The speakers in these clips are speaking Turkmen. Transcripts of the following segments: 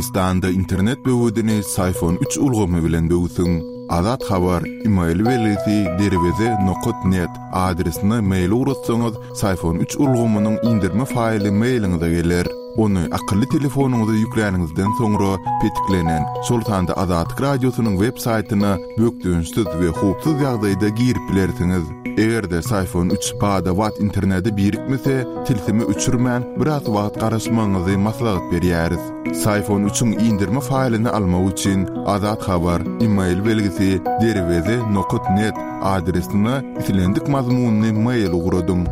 Türkmenistanda internet böwedini Syfon üç ulgamy bilen böwsüň. Azat Habar, email belgisi derweze nokat net adresine mail ugratsaňyz, Syfon üç ulgamynyň indirme faýly mailiňize geler. Ony akylly telefonyňyza ýükläniňizden soňra petiklenen, şol sanda Azatlyk Radiosynyň web saýtyna bökdençsiz we howpsuz ýagdaýda girip bilersiňiz. Eger-de Syfon üç bada-bat internete birikmese, tilsimi öçürmän, biraz wagt garaşmagyňyzy maslahat berýäris. Syfon üçiň indirme faýlyny almak üçin Azat Habar, email belgisi derweze nokat net adresine islendik mazmunly mail ugradyň.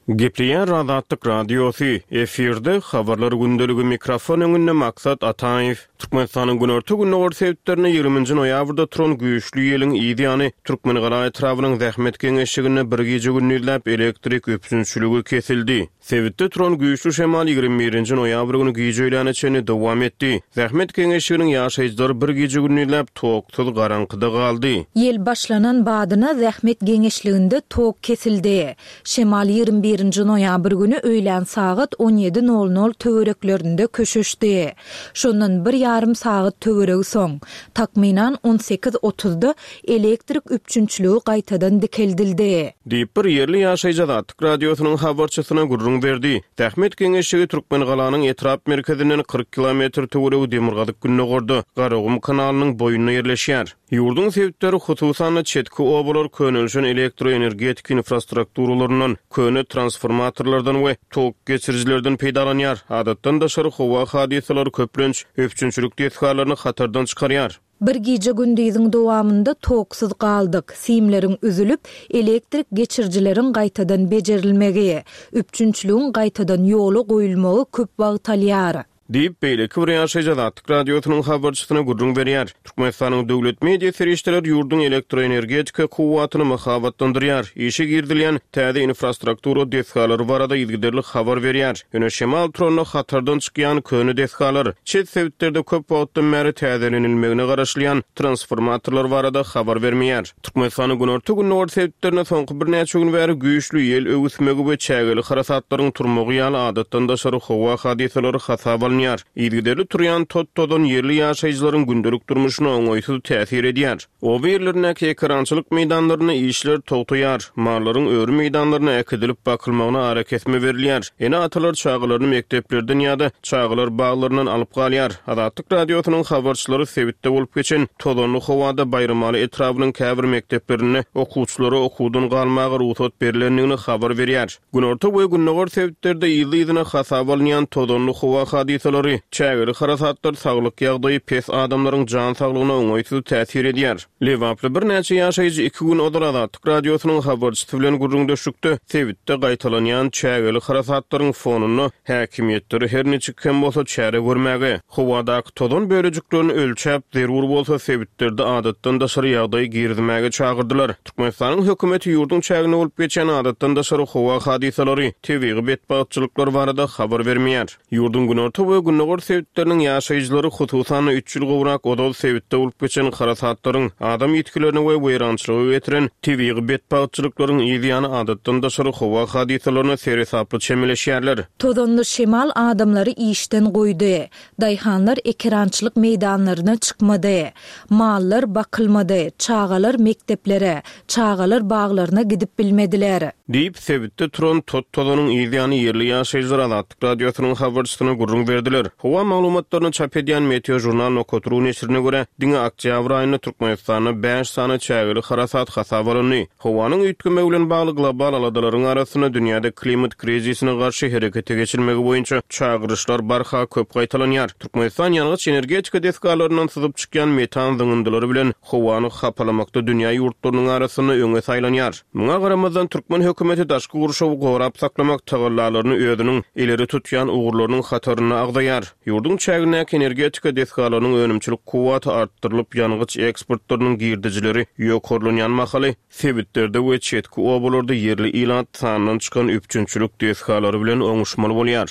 Gepleýär Azatlyk Radiosy, efirde Habarlar gündeligi mikrofon öňünde Maksat Ataýew. Türkmenistanyň günorta-gündogar sebitlerinde ýigriminji noýabrda turan güýçli ýeliň yz ýany Türkmengala etrabynyň Zähmet geňeşliginde bir gije-gündizläp elektrik üpjünçiligi kesildi. Sebitde turan güýçli şemal 21-nji noýabr güni gije öýläne çenli dowam etdi. Zähmet geňeşliginiň ýaşaýjylary bir gije-gündizläp toksuz garaňkyda galdy. Ýel başlanan badyna Zähmet geňeşliginde tok kesildi. Şemal 21-nji noýabr güni öýlän sagat on ýedi nol nol töwereklerinde köşeşdi. Şondan bir ýarym sagat töweregi soň, takmynan on sekiz otuzda elektrik üpjünçiligi gaýtadan dikeldildi. Diýip, bir ýerli ýaşaýjy Azatlyk Radiosynyň habarçysyna gürrüň berdi. Zähmet geňeşligi Türkmengalanyň etrap merkezinden 40 kilometr töweregi demirgazyk-gündogarda, Garagum kanalynyň boýunda ýerleşýär. Ýurduň sebitleri, hususan-da, çetki obalar könelişen elektroenergetika infrastrukturalaryndan, köne transformatorlardan we tok geçirijilerden peýdalanýar. Adatdan daşary howa hadysalary köplenç üpjünçilik desgalaryny hatardan çykarýar. Bir gije-gündiziň dowamynda toksuz galdyk, simleriň üzülip, elektrik geçirijileriň gaýtadan bejerilmegi, üpjünçiligiň gaýtadan ýola goýulmagy köp wagt alýar. Diýip, beýleki bir ýaşaýjy Azatlyk Radiosynyň habarçysyna gürrüň berýär. Türkmenistanyň döwlet media serişdeleri ýurduň elektroenergetika kuwwatyny mahabatlandyrýar, işe girizilýän täze infrastruktura desgalary barada yzygiderli habar berýär. Ýöne şemal turanda hatardan çykýan köne desgalar, çet sebitlerde köp wagtdan bäri täzelenilmegine garaşylýan transformatorlar barada habar bermeýär. Türkmenistanyň günorta-gündogar sebitlerinde soňky birnäçe gün bäri güýçli ýel öwüsmegi we çägeli harasatlaryň turmagy ýaly adatdan daşary howa hadysalary hasaba alynýar. Yzygiderli turýan tot-tozan ýerli ýaşaýjylaryň gündelik durmuşyna oňaýsyz täsir edýär. Oba ýerlerindäki ekerançylyk meýdanlarynda işler togtaýar, mallaryň öri meýdanlaryna äkidilip bakylmagyna arakesme berilýär. Ene-atalar çagalaryny mekdeplerden ýa-da çagalar baglaryndan alyp galýar. Azatlyk Radiosynyň habarçylary sebitde bolup geçen tozanly howada Baýramaly etrabynyň käbir mekdeplerinde okuwçylara okuwdan galmaga rugsat berlendigini habar berýär. Günorta we gündogar sebitlerde yzly-yzyna hasaba alynýan tozanly howa hadysalary, çägeli harasatlar saglyk ýagdaýy pes adamlaryň jan saglygyna oňaýsyz täsir edýär. Lebaply birnäçe ýaşaýjy iki gün ozal Azatlyk Radiosynyň habarçysy bilen gürrüňdeşlikde sebitde gaýtalanýan çägeli harasatlaryň fonunda häkimiýetleri her niçik hem bolsa çäre görmäge, howadaky tozan bölejiklerini ölçäp, zerur bolsa sebitlerde adatdan daşary ýagdaý girizmäge çagyrdylar. Türkmenistanyň hökümeti ýurduň çäginde bolup geçýän adatdan daşary howa hadysalary, tebigy betbagtçylyklar barada habar bermeýär. Ýurduň günorta we gündogar sebitleriniň ýaşaýjylary, hususan-da, üç ýyl gowrak ozal sebitde bolup geçen harasatlaryň, adam ýitgilerine we weýrançylyga getiren tebigy betbagtçylyklaryň yz ýany adatdan daşary howa hadysalaryna seresaply çemeleşýärler. Tozanly şemal adamlary işden goýdy. Daýhanlar ekerançylyk meýdanlaryna çykmady. Mallar bakylmady, çagalar mekdeplere, çagalar baglaryna gidip bilmediler. Diýip, sebitde turan tot-tozanyň yz ýany ýerli ýaşaýjylar Azatlyk Radiosynyň habarçysyna gürrüň berdiler. Howa maglumatlaryny çap edýän Meteožurnal nokat ru neşirine görä, diňe oktýabr aýynda Türkmenistanda bäş sany çägeli harasat hasaba alyndy. Howanyň üýtgemegi bilen bagly global aladalaryň arasynda dünýäde klimat krizisine garşy herekete geçilmegi boýunça çagyryşlar barha köp gaýtalanýar. Türkmenistan ýangyç-energetika desgalaryndan syzyp çykýan metan zyňyndylary bilen howany hapalamakda dünýä ýurtlarynyň arasynda öňe saýlanýar. Muňa garamazdan, türkmen hökümeti daşky gurşawy gorap saklamak tagallalaryny özüniň ileri tutýan ugurlarynyň hatarynda agzaýar. Ýurduň çägindäki energetika desgalarynyň önümçilik kuwwaty artdyrylyp, ýangyç eksportlarynyň girdejileri ýokarlanýan mahaly, sebitlerde we çetki obalarda ýerli ilat sandan çykan üpjünçilik desgalary bilen oňuşmaly bolýar.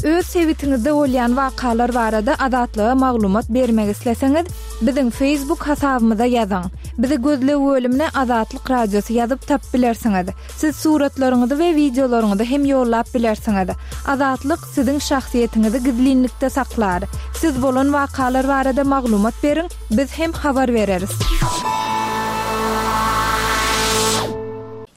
Öz. sebitiňizde bolýan wakalar barada Azatlyga maglumat bermek isleseňiz, biziň Facebook hasabymyza ýazyň. Bizi gözleg bölümine Azatlyk Radiosy ýazyp tapyp bilersiňiz. Siz suratlaryňyzy we wideolaryňyzy hem ýollap bilersiňiz. Azatlyk siziň şahsyýetiňizi gizlinlikde saklar. Siz bolan wakalar barada maglumat beriň, biz hem habar bereris.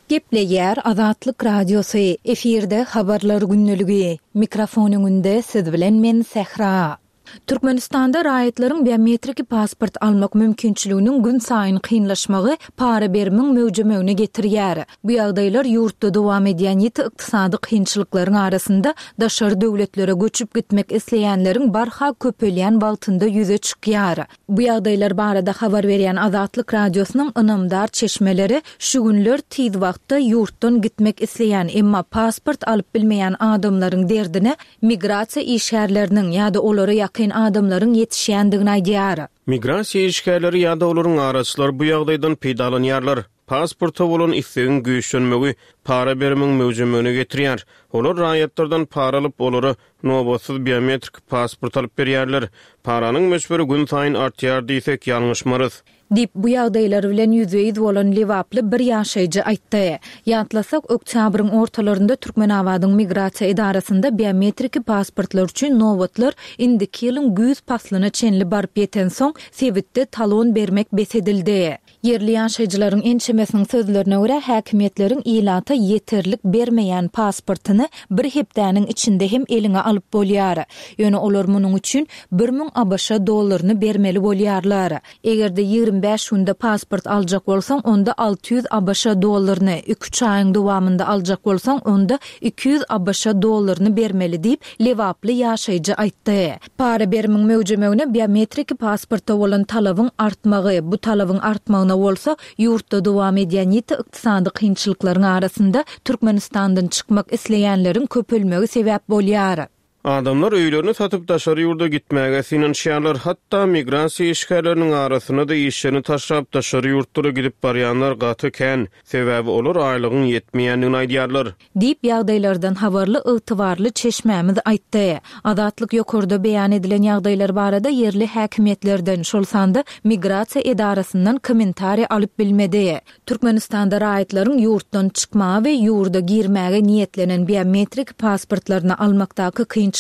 Gepleýär Azatlyk Radiosy, efirde Habarlar gündeligi. Mikrofon öňünde siz bilen men Sähra. Türkmenistanda raýatlaryň biometriki pasport almak mümkinçiliginiň günsaýyn kynlaşmagy para berimiň möwjemegine getirýär. Bu ýagdaýlar ýurtda dowam edýän ýiti ykdysady kynçylyklaryň arasynda daşary döwletlere göçüp gitmek isleýänleriň barha köpelýän wagtynda ýüze çykýar. Bu ýagdaýlar barada habar berýän Azatlyk Radiosynyň ynamdar çeşmeleri şu günler tiz wagtda ýurtdan gitmek isleýän, emma pasport alyp bilmeýän adamlaryň derdine migrasiýa işgärleriniň ýa-da olara ýakyn adamlaryň ýetişýändigini aýdýar. Migrasiýa işgärleri ýa-da olaryň araçylary bu ýagdaýdan peýdalanýarlar. Pasporta bolan islegiň güýçlenmegi para berimiň möwjemegine getirýär. Olar raýatlardan para alyp, olara nobatsyz biometrik pasport alyp berýärler. Paranyň möçberi günsaýyn artýar diýsek, ýalňyşmarys. Diýip, bu ýagdaýlar bilen ýüzbe-ýüz bolan lebaply bir ýaşaýjy aýtdy. Ýatlasak, oktýabryň ortalarynda Türkmenabadyň migrasiýa edarasynda biometriki pasportlar üçin nobatlar indiki ýylyň güýz paslyna çenli baryp ýetensoň, sebitde talon bermek bes edildi. Ýerli ýaşaýjylaryň ençemesiniň sözlerine görä, häkimiýetleriň ilata ýeterlik bermeýän pasportyny bir hepdäniň içinde hem eliňe alyp bolýar. Ýöne olar munuň üçin 1000 ABŞ dollaryny bermeli bolýarlar. Eger-de 25 günde pasport aljak bolsaň, onda 600 ABŞ dollaryny, iki-üç aýyň dowamynda aljak bolsaň, onda 200 ABŞ dollaryny bermeli diýip, lebaply ýaşaýjy aýtdy. Para berimiň möwjemegine biometriki pasporta bolan talabyň artmagy, bu talabyň artmagyna bolsa ýurtda dowam edýän ýiti ykdysady kynçylyklaryň arasynda Türkmenistandan çykmak isleýänleriň köpelmegi sebäp bolýar. Adamlar öýlerini satyp daşary ýurda gitmäge synanyşýarlar. Hatda migrasiýa işgärleriniň arasynda-da işlerini taşlap daşary ýurtlara gidip barýanlar gaty kän. Sebäbi olar aýlygyň ýetmeýändigini aýdýarlar. Diýip, ýagdaýlardan habarly ygtybarly çeşmämiz aýtdy. Azatlyk ýokarda beýan edilen ýagdaýlar barada ýerli häkimiýetlerden, şol sanda migrasiýa edarasyndan kommentariý alyp bilmedi. Türkmenistanda raýatlaryň ýurtdan çykmaga we ýurda girmäge niýetlenen biometrik pasportlaryny almakdaky kynçylyklary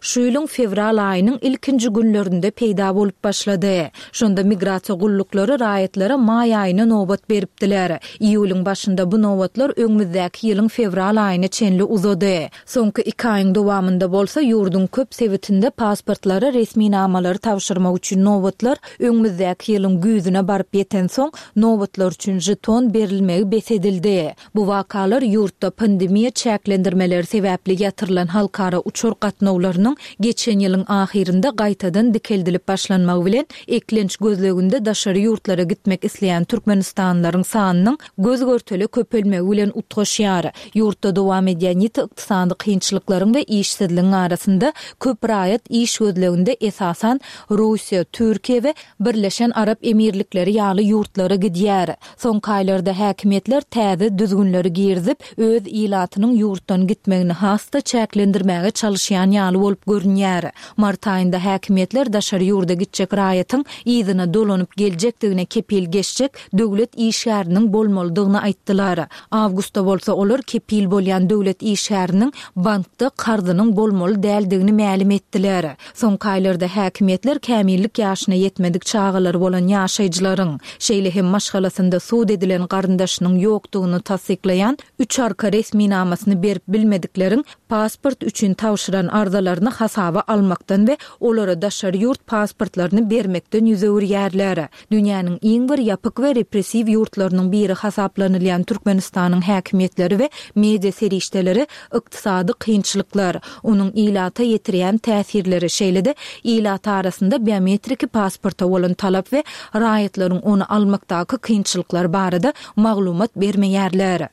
şu ýylyň fewral aýynyň ilkinji günlerinde peýda bolup başlady. Şonda migrasiýa gulluklary raýatlara maý aýyna nobat beripdiler. Iýulyň başynda bu nobatlar öňümizdäki ýylyň fewral aýyna çenli uzady. Soňky iki aýyň dowamynda bolsa ýurduň köp sebitinde pasportlary, resminamalary tabşyrmak üçin nobatlar öňümizdäki ýylyň güýzüne baryp ýetensoň, nobatlar üçin žeton berilmegi bes edildi. Bu wakalar ýurtda pandemiýa çäklendirmeleri sebäpli ýatyrylan halkara uçar gatnawlarynyň geçen ýylyň ahyrynda gaýtadan dikeldilip başlanmagy bilen, eklenç gözleginde daşary ýurtlara gitmek isleýän türkmenistanlylaryň sanynyň göz-görtele köpelmegi bilen utgaşýar. Ýurtda dowam edýän ýiti ykdysady kynçylyklaryň we işsizligiň arasynda köp raýat iş gözleginde esasan Russiýa, Türkiýe we Birleşen Arap Emirlikleri ýaly ýurtlara gidýär. Soňky aýlarda häkimiýetler täze düzgünleri girizip, öz ilatynyň ýurtdan gitmegini has-da çäklendirmäge çalyşýan ýaly bolup görünýär. Mart aýynda häkimiýetler daşary ýurda gitjek raýatyň yzyna dolanyp geljekdigine kepil geçjek döwlet işgäriniň bolmalydygyny aýtdylar. Awgustda bolsa olar kepil bolýan döwlet işgäriniň bankda karzynyň bolmaly däldigini mälim etdiler. Soňky aýlarda häkimiýetler kämillik ýaşyna ýetmedik çagalary bolan ýaşaýjylaryň, şeýle hem maşgalasynda sud edilen garyndaşynyň ýokdugyny tassyklaýan üç arka resminamasyny berip bilmedikleriň pasport üçin tabşyran arzalaryny hasaba almakdan we olara daşary ýurt pasportlaryny bermekden ýüz öwürýärler. Dünýäniň iň bir ýapyk we repressiw ýurtlarynyň biri hasaplanylýan Türkmenistanyň häkimiýetleri we media serişdeleri ykdysady kynçylyklar, onuň ilata ýetirýän täsirleri, şeýle-de ilat arasynda biometriki pasporta bolan talap we raýatlaryň ony almakdaky kynçylyklar barada maglumat bermeýärler.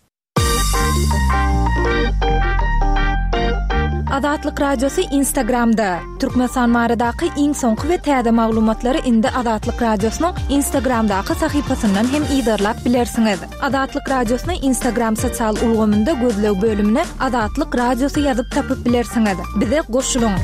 Azatlyk Radiosy Instagramda! Türkmenistan baradaky iň soňky we täze maglumatlary indi Azatlyk Radiosynyň Instagramdaky sahypasyndan hem yzarlap bilersiňiz. Azatlyk Radiosyny Instagram sosial ulgamynda gözleg bölümine Azatlyk Radiosy ýazyp tapyp bilersiňiz. Bize goşulyň!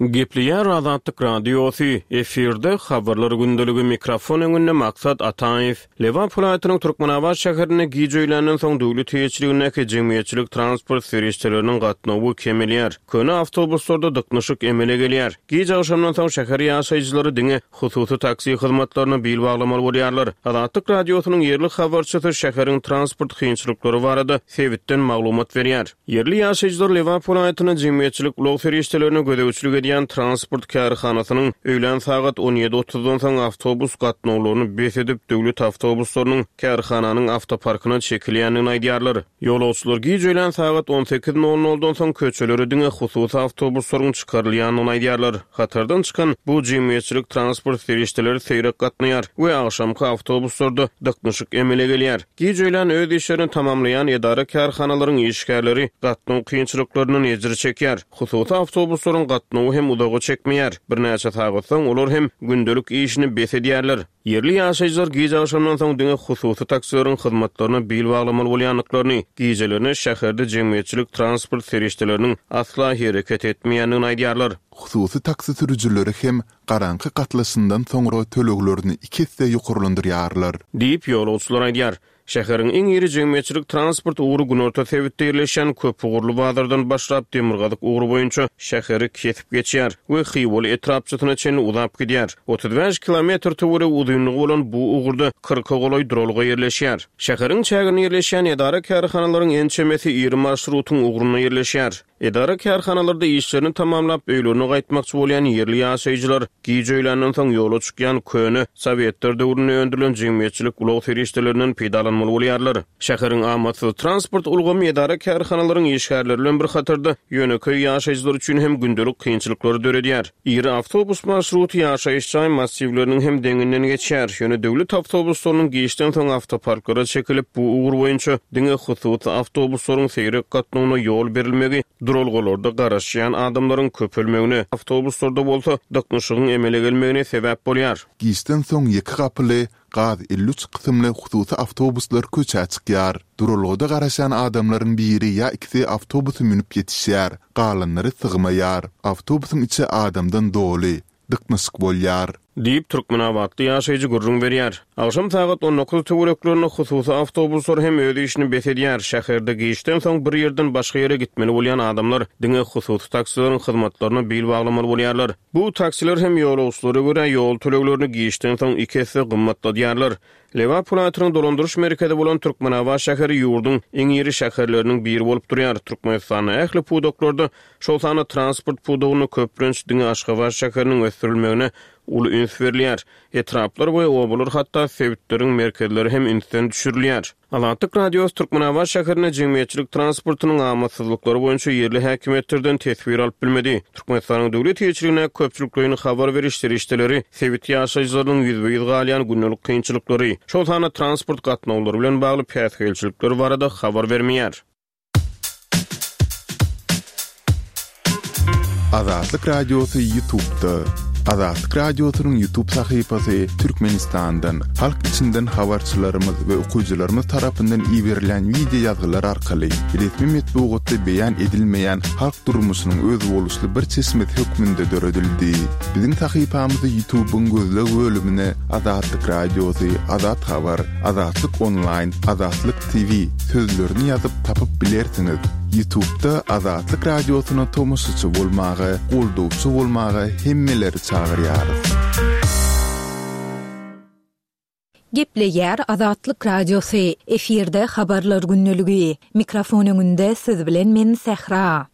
Gepleýär Azatlyk Radiosy, efirde Habarlar gündeligi, mikrofon öňünde Maksat Ataýew. Lebap welaýatynyň Türkmenabat şäherinde gije öýländen soň döwlet eýeçiligindäki jemgyýetçilik transport serişdeleriniň gatnawy kemelýär. Köne awtobuslarda dyknyşyk emele gelýär. Gij agşamdan soň şäher ýaşaýjylary diňe hususy taksi hyzmatlaryna bil baglamaly bolýarlar. Azatlyk Radiosynyň ýerli habarçysy şäheriň transport kynçylyklary barada sebitden maglumat berýär. Ýerli ýaşaýjylar Lebap welaýatynda jemgyýetçilik ulag serişdelerine gözegçilik edýän transport kärhanasynyň öýlän sagat on ýedi otuzdan soň awtobus gatnawlaryny bes edip, döwlet awtobuslarynyň kärhananyň awtoparkyna çekilýändigini aýdýarlar. Ýolagçylar giç öýlän sagat on sekiz nol noldan soň köçelere diňe hususy awtobuslaryň çykarylýandygyny aýdýarlar. Hatardan çykan bu jemgyýetçilik transport serişdeleri seýrek gatnaýar we agşamky awtobuslarda dyknyşyk emele gelýär. Giç öýlän öz işlerini tamamlaýan edara-kärhanalaryň işgärleri gatnaw kynçylyklaryndan ejir çekýär. Hususy awtobuslaryň gatnawy hem uzaga çekmeýär. Birnäçe sagat soň olar hem gündelik işini bes edýärler. Ýerli ýaşaýjylar giç agşamdan soň diňe hususy taksileriň hyzmatlaryna bil baglamaly bolýandyklaryny, gijelerine şäherde jemgyýetçilik transport serişdeleriniň asla hereket etmeýändigini aýdýarlar. Hususy taksi sürüjileri hem garaňky gatlyşyndan soňra töleglerini iki esse ýokarlandyrýarlar. Diýip, ýolagçylar aýdýar. Şäheriň iň iri jemgyýetçilik transport ugry günorta sebitde ýerleşýän köpugurly bazardan başlap, demirgazyk ugry boýunça şäheri kesip geçýär we Hywaly etrapçasyna çenli uzap gidýär. 35 kilometr töweregi uzynlygy bolan bu ugurda kyrka golaý duralga ýerleşýär. Şäheriň çäginde ýerleşýän edara-kärhanalaryň ençemesi iri marşrutyň ugrunda ýerleşýär. Edara-kärhanalarda işlerini tamamlap, öýlerine gaýtmakçy bolýan ýerli ýaşaýjylar giç öýländen soň ýola çykýan köne, sowetler döwründe öndürilen jemgyýetçilik ulag serişdelerinden peýdalanmaly bolýarlar. Şäheriň amatsyz transport ulgamy edara-kärhanalaryň işgärleri bilen bir hatarda, ýönekeý ýaşaýjylar üçin hem gündelik kynçylyklary döredýär. Iri awtobus marşruty ýaşaýyş jaý massiwleriniň hem deňinden geçýär. Ýöne döwlet awtobuslarynyň giçden soň awtoparklara çekilip, bu ugur boýunça diňe hususy awtobuslaryň seýrek gatnawyna ýol berilmegi duralgalarda garaşýan adamlaryň köpelmegine, awtobuslarda bolsa dyknyşygyň emele gelmegine sebäp bolýar. Giçden soň ýeke gapyly Gaz 53 kysymly hususy awtobuslar köçä çykýar. Duralgada garaşýan adamlaryň biri ýa ikisi awtobusa münüp ýetişýär, galanlary sygmaýar. Awtobusyň içi adamdan doly, dyknyşyk bolýar. Diýip, türkmenabatly ýaşaýjy gürrüň berýär. Agşam sagat on dokuz töwereklerinde hususy awtobuslar hem öz işini bes edýär. Şäherde giçden soň bir ýerden başga ýere gitmeli bolýan adamlar diňe hususy taksileriň hyzmatlaryna bil baglamaly bolýarlar. Bu taksiler hem ýolagçylara görä ýol töleglerini giçden soň iki esse gymmatladýarlar. Lebap welaýatynyň dolandyryş merkezi bolan Türkmenabat şäheri ýurduň iň iri şäherleriniň biri bolup durýar. Türkmenistanda ähli pudaklarda, şol sanda transport pudagynda köplenç diňe Aşgabat şäheriniň ösdürilmegine uly üns berilýär. Etraplar we obalar hatda sebitleriň merkezleri hem ünsden düşürilýär. Azatlyk Radiosy Türkmenabat şäherinde jemgyýetçilik transportynyň amatsyzlyklary boýunça ýerli häkimiýetlerden teswir alyp bilmedi. Türkmenistanyň döwlet eýeçiligindäki köpçülikleýin habar beriş serişdeleri sebit ýaşaýjylarynyň ýüzbe-ýüz galýan gündelik kynçylyklary, şol sanda transport gatnawlary bilen bagly päsgelçilikler barada habar bermeýär. Azatlyk Radiosy Ýutubda. Azatlyk Radiosynyň Ýutub sahypasy Türkmenistandan, halk içinden habarçylarymyz we okyjylarymyz tarapyndan iberilýän wideo ýazgylar arkaly resmi metbugatda beýan edilmeýän halk durmuşynyň özboluşly bir çeşmesi hökmünde döredildi. Biziň sahypamyzy Ýutubyň gözleg bölümine Azatlyk Radiosy, Azat Habar, Azatlyk Onlaýn, Azatlyk TV sözlerini ýazyp tapyp bilersiňiz. Ýutubda Azatlyk Radiosyna tomaşaçy bolmaga, goldawçy bolmaga hemmeleri çagyrýarys. Gepleýär Azatlyk Radiosy, efirde Habarlar gündeligi. Mikrofon öňünde siz bilen men Sähra.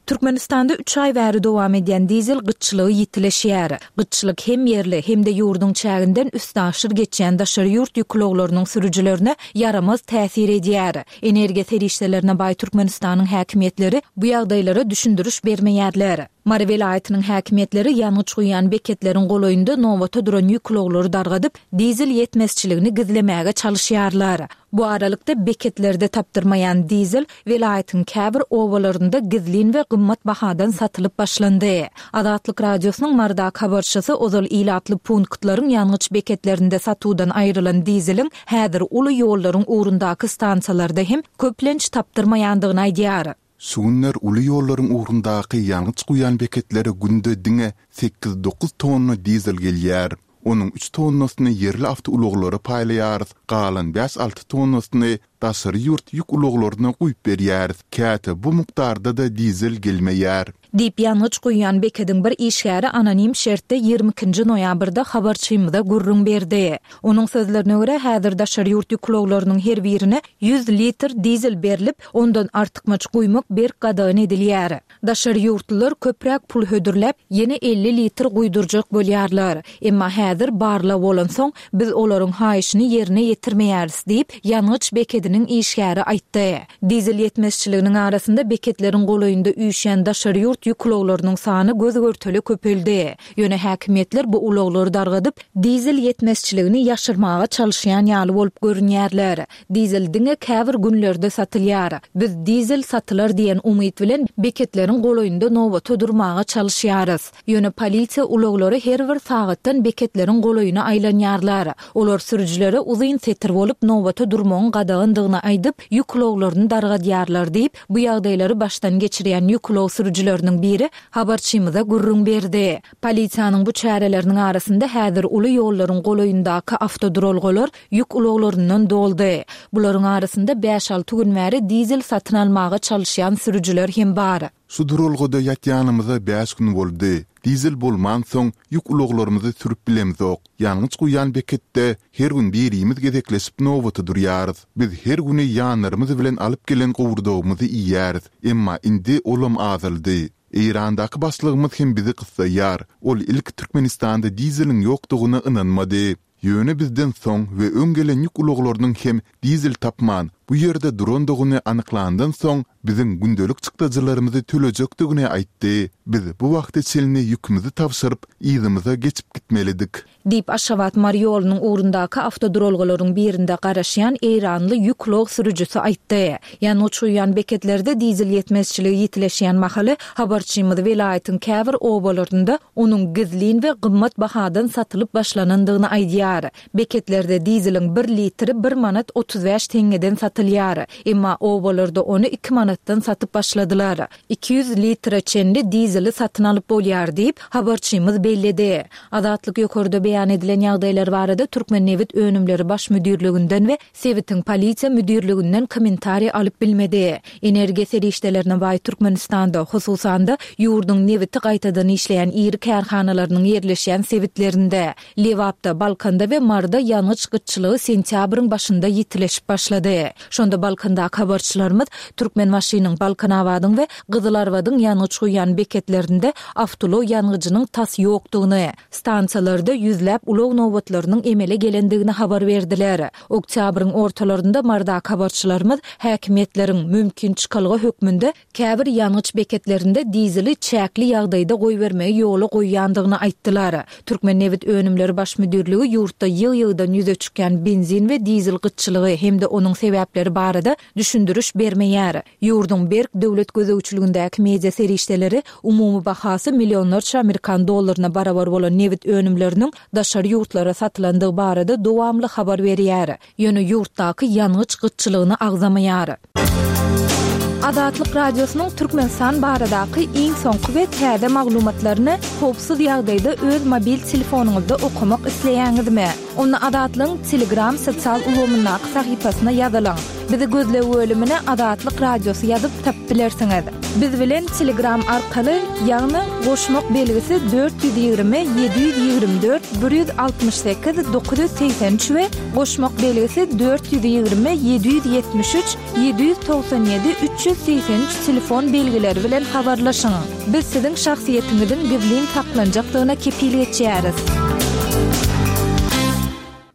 Türkmenistanda üç aý bäri dowam edýän dizel gytçylygy ýitileşýär. Gytçylyk hem ýerli, hem-de ýurduň çäginden üstaşyr geçýän daşary ýurt ýük ulaglarynyň sürüjilerine ýaramaz täsir edýär. Energiýa serişdelerine baý Türkmenistanyň häkimiýetleri bu ýagdaýlara düşündiriş bermeýärler. Mary welaýatynyň häkimiýetleri ýangyç guýýan beketleriň golaýynda nobata duran ýük ulaglary dargadyp, dizel ýetmezçiligini gizlemäge çalyşýarlar. Bu aralykda, beketlerde tapdyrmaýan dizel welaýatyň käbir obalarynda gizlin we gymmat bahadan satylyp başlandy. Azatlyk Radiosynyň Marydaky habarçysy ozal ilatly punktlaryň ýangyç beketlerinde satuwdan aýrylan dizeliň häzir uly ýollaryň ugrundaky stansiýalarda hem köplenç tapdyrmaýandygyny aýdýar. Şu günler uly ýollaryň ugrundaky ýangyç guýýan beketlere günde diňe sekiz-dokuz tonna dizel gelýär. Onuň üç tonnasyny ýerli awtoulaglara paýlaýarys, galan bäş-alty tonnasyny daşary ýurt ýük ulaglaryna guýup berýäris. Käte bu mukdarda-da dizel gelmeýär. Diýip, ýangyç guýýan bekediň bir işgäri anonim şertde 22 nji noýabrda habarçymyza gürrüň berdi. Onuň sözlerine görä, häzir daşary ýurt ýük ulaglarynyň her birine 100 litr dizel berlip, Ondan artykmaç guýmak berk gadagan edilýär. Daşary ýurtlular köpräk pul hödürläp, ýene 50 litr guýdurjak bolýarlar. Emma häzir barlag bolansoň, biz olaryň haýyşyny ýerine ýetirmeýäris diýip, ýangyç bekediniň işgäri aýtdy. Dizel ýetmezçiliginiň arasynda beketleriň golaýynda üýşýän daşary ýurt ýük ulaglarynyň sany göz-görtele köpeldi. Ýöne häkimiýetler bu ulaglary dargadyp, dizel ýetmezçiligini ýaşyrmaga çalyşýan ýaly bolup görünýärler. Dizel diňe käbir günlerde satylýar. Biz dizel satylar diýen umyt bilen beketleriň golaýynda nobata durmaga çalyşýarys. Ýöne polisiýa ulaglary her bir sagatdan beketleriň golaýyna aýlanýarlar. Olar sürüjilere uzyn setir bolup nobata durmagyň gadagandygyny aýdyp, ýük ulaglaryny dargadýarlar diýip, bu ýagdaýlary başdan geçirýän ýük ulag sürüjileriniň biri habarçymyza gürrüň berdi. Polisiýanyň bu çäreleriniň arasynda häzir uly ýollaryň golaýyndaky awtoduralgalar ýük ulaglaryndan doldy. Bularyň arasynda bäş-alty gün bäri dizel satyn almaga çalyşýan sürüjiler hem bar. Şu duralgada ýatýanymyza bäş gün boldy. Dizel bolmansoň, ýük ulaglarymyzy sürüp bilemzok. Ýangyç guýýan beketde her gün birimiz gezekleşip nobata durýarys. Biz her güni ýanlarymyz bilen alyp gelen gowurdagymyzy iýýäris. Emma indi olam azaldy. Eýrandaky başlygymyz hem bizi gyssaýar. Ol ilki Türkmenistanda dizeliň ýokdugyna ynanmady. Ýöne bizden soň we öň gelen ýük ulaglarynyň hem dizel tapman, bu ýerde durandygyny anyklandan soň, biziň gündelik çykdajylarymyzy tölejekdigini aýtdy. Biz bu wagta çenli ýükümizi tabşyryp, yzymyza geçip gitmelidik. Diýip, Aşgabat-Mary ýolunyň ugrundaky awtoduralgalaryň birinde garaşýan eýranly ýük ulag sürüjisi aýtdy. Ýangyç guýýan beketlerde dizel ýetmezçiligi ýitileşýän mahaly, habarçymyz welaýatyň käbir obalarynda onuň gizlin we gymmat bahadan satylyp başlanandygyny aýdýar. Beketlerde dizeliň bir litri bir manat 35 teňňeden satylýar. Emma obalarda ony iki manatdan satyp başladylar. 200 litre çenli dizeli satyn alyp bolýar diýip, habarçymyz belledi. Azatlyk ýokarda beýan edilen ýagdaýlar barada Türkmennebit önümleri baş müdirliginden we sebitiň polisiýa müdirliginden kommentariý alyp bilmedi. Energiýa serişdelerine baý Türkmenistanda, hususan-da, ýurduň nebiti gaýtadan işleýän iri kärhanalarynyň ýerleşýän sebitlerinde, Lebapda, Balkanda we Maryda ýangyç gytçylygy sentýabryň başynda ýitileşip başlady. Şonda Balkandaky habarçylarymyz Türkmenbaşynyň, Balkanabadyň we Gyzylarbadyň ýangyç guýýan beketlerinde awtoulag ýangyjynyň tas ýokdugyny, stansiýalarda ýüzläp ulag nobatlarynyň emele gelendigini habar berdiler. Oktýabryň ortalarynda Marydaky habarçylarymyz häkimiýetleriň, mümkin çykalga hökmünde, käbir ýangyç beketlerinde dizeli çäkli ýagdaýda goýbermegi ýola goýýandygyny aýtdylar. Türkmennebit önümleri baş müdirligi ýurtda ýygy-ýygydan ýüze çykýan benzin we dizel gytçylygy hem-de onuň sebäpleri barada düşündiriş bermeýär. Ýurduň berk döwlet gözegçiligindäki media serişdeleri umumy bahasy millionlarça amerikan dollaryna barabar bolan nebit önümleriniň daşary ýurtlara satylandygy barada dowamly habar berýär. Ýöne ýurtdaky ýangyç gytçylygyny agzamaýar. Azatlyk Radiosynyň Türkmenistan baradaky iň soňky we täze maglumatlaryny howpsuz ýagdaýda öz mobil telefonyňyzda okamak isleýäňizmi? Onda Azatlygyň Telegram sosial ulgamyndaky sahypasyna ýazylyň. Bizi gözleg bölümine Azatlyk Radiosy ýazyp tapyp bilersiňiz. Biz bilen Telegram arkaly, ýagny goşmak belgisi 420 724 168 983 we goşmak belgisi 420 773 797 383 telefon belgileri bilen habarlaşyň. Biz siziň şahsyýetiňiziň gizlin saklanjakdygyna kepil geçýäris.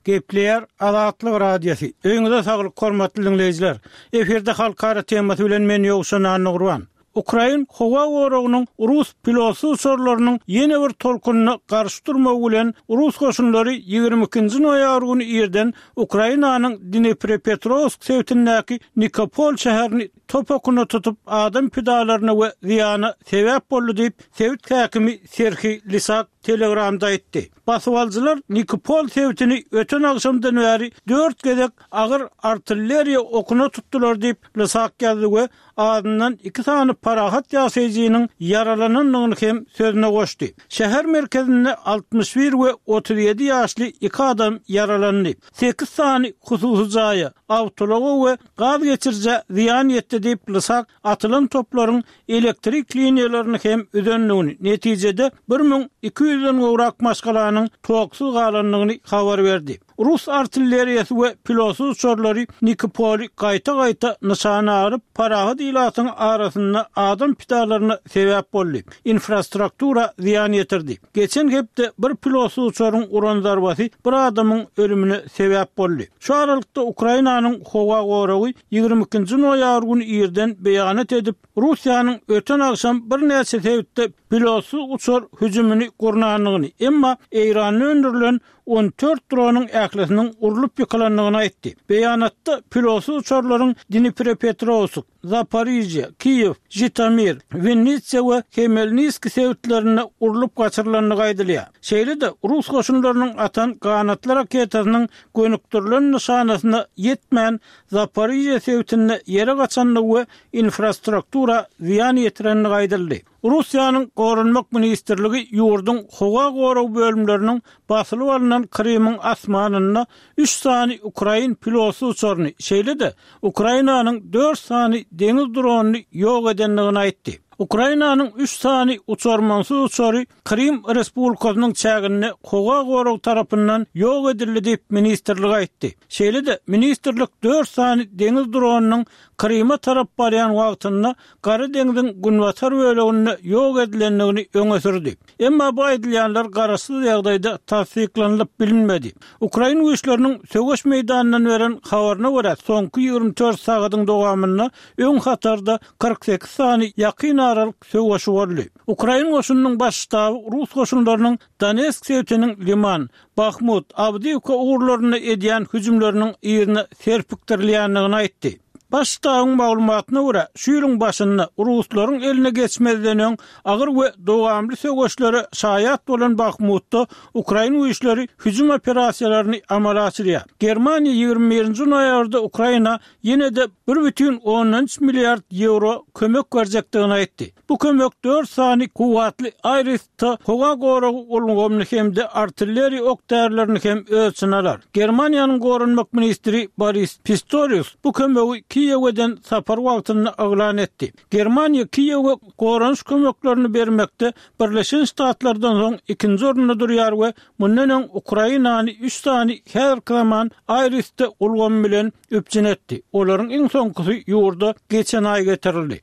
Gepleýär Azatlyk Radiosy. Öýüňize saglyk hormatly diňleýjiler. Efirde halkara temasy bilen men Ýowşan Annagurban. Ukrain howa goragynyň rus pilotsyz uçarlarynyň ýene bir tolkunyna garşy durmagy bilen, rus goşunlary 22-nji noýabr güni irden Ukrainanyň Dniprepetrowsk sebitindäki Nikopol şäherini top okuna tutup, adam pidalaryna we zyýana sebäp boldy diýip, sebit häkimi Serhiý Lisak Telegramda aýtdy. Basybalyjylar Nikopol sebitini öten agşamdan bäri dört gezek agyr artilleriýa okuna tutdular diýip, Lysak ýazdy we azyndan iki sany parahat ýaşaýjynyň ýaralanandygyny hem sözüne goşdy. Şäher merkezinde 61 we 37 ýaşly iki adam ýaralandy. Sekiz sany hususy jaýa, awtoulaga we gaz geçirijä zyýan ýetdi diýip, Lysak atylan toplaryň elektrik liniýalaryny hem üzendigini, netijede 1200-den gowrak maşgalanyň toksuz galandygyny habar berdi. Rus artilleriýasy we pilotsyz uçarlary Nikopoly gaýta-gaýta nyşana alyp, parahat ilatyň arasynda adam pidalaryna sebäp boldy, infrastruktura zyýan ýetirdi. Geçen hepde bir pilotsyz uçaryň uran zarbasy bir adamyň ölümine sebäp boldy. Şu aralykda Ukrainanyň howa goragy 22-nji noýabr güni irden beýanat edip, Russiýanyň öten agşam birnäçe sebitde pilotsyz uçar hüjümini gurnandygyny, emma Eýranda öndürilen 14 dronyň ählisiniň urlup ýykylandygyny aýtdy. Beýanatda pilotsyz uçarlaryň Dniprepetrowsk, Zaporižýa, Kiýew, Žitomir, Winnitsa we Hmelniskiý sebitlerinde urlup gaçyrylandygy aýdylýar. Şeýle-de, rus goşunlarynyň atan ganatly raketasynyň gönükdirilen nyşanasyna ýetmän, Zaporižýa sebitinde ýere gaçandygy we infrastruktura zyýan ýetirendigi aýdyldy. Russiýanyň Goranmak ministrligi ýurduň howa gorag bölümleriniň basylyp alnan Krymyň asmanynda üç sany ukrain pilotsyz uçaryny, şeýle-de Ukrainanyň dört sany deňiz dronyny ýok edendigini aýtdy. Ukrainanyň üç sany uçarmansyz uçary Krym Respublikasynyň çäginde howa goragy tarapyndan ýok edildi diýip, ministrlik aýtdy. Şeýle-de, ministrlik dört sany deňiz dronynyň Kryma tarap barýan wagtynda Gara deňziň günbatar böleginde ýok edilendigini öňe sürdi. Emma bu aýdylýanlar garaşsyz ýagdaýda tassyklanylyp bilinmedi. Ukrain güýçleriniň söweş meýdanyndan beren habaryna görä, soňky 24 sagadyň dowamynda öň hatarda 48 sany ýakyn aralyk söweşi boldy. Ukrain goşunynyň baş ştaby rus goşunlarynyň Donetsk sebitiniň Liman, Bahmut, Awdiýewka ugurlarynda edýän hüjümleriniň yzyna serpikdirilýändigini aýtdy. Baş ştabyň maglumatyna görä, şu ýylyň başynda ruslaryň eline geçmezden öň agyr we dowamly söweşlere şaýat bolan Bahmutda ukrain güýçleri hüjüm operasiýalaryny amala aşyrýar. Germaniýa 21-nji noýabrda Ukraina ýene-de 1,3 milliard ýewro kömek berjekdigini aýtdy. Bu kömek dört sany kuwwatly Iris-T howa goragy ulgamyny hem-de artilleriýa ok-därilerini hem öz içine alar. Germaniýanyň goranmak ministri Boris Pistorius bu kömegi Kiýewe eden sapary wagtynda yglan etdi. Germaniýa Kiýewe goranyş kömeklerini bermekde Birleşen Ştatlardan soň ikinji orunda durýar we mundan öň Ukrainany üç sany häzirki zaman Iris-T ulgamy bilen üpjün etdi. Olaryň iň soňkusy ýurda geçen aý getirildi.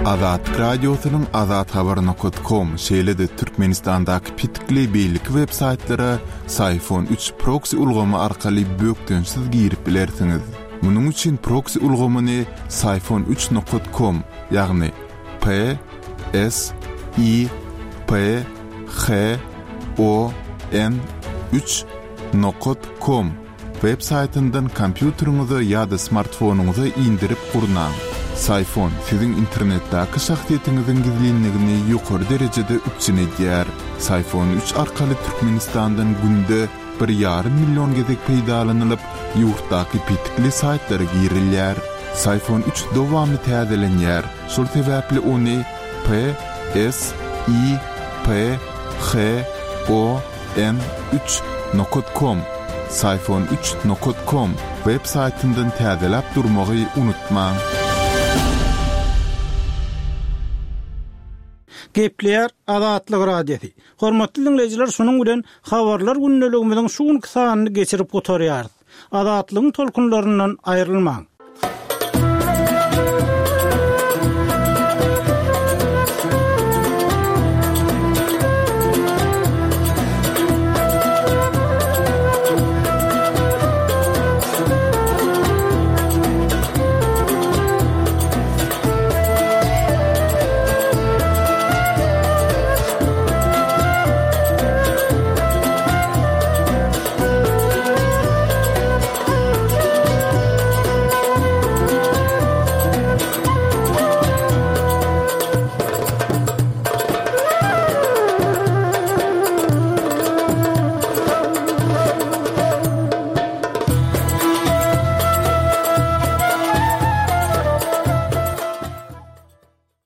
Azatlyk Radiosynyň azathabar nokat kom, şeýle-de Türkmenistandaky petikli beýleki web saýtlara Syfon üç proksi ulgamy arkaly bökdençsiz girip bilersiňiz. Munuň üçin proksi ulgamyny Syfon üç nokat kom, ýagny P S I P H O N üç nokat kom Web saýtyndan kompýuteriňize ýa-da smartfonyňyza indirip gurnaň. Syfon siziň internetdäki şahsyýetiňiziň gizlinligini ýokary derejede üpjün edýär. Syfon üç arkaly Türkmenistandan günde bir ýarym million gezek peýdalanylyp, ýurtdaky petikli saýtlara girilýär. Syfon üç dowamly täzelenýär, şol sebäpli ony P S I P H O N üç nokat kom Syfon üç nokat kom web saýtyndan täzeläp durmagy unutmaň. Gepleýär Azatlyk Radiosy. Hormatly diňleýjiler şunuň bilen Habarlar gündeligimiziň şu günki sanyny geçirip gutarýarys. Azatlygyň tolkunlaryndan aýrylmaň.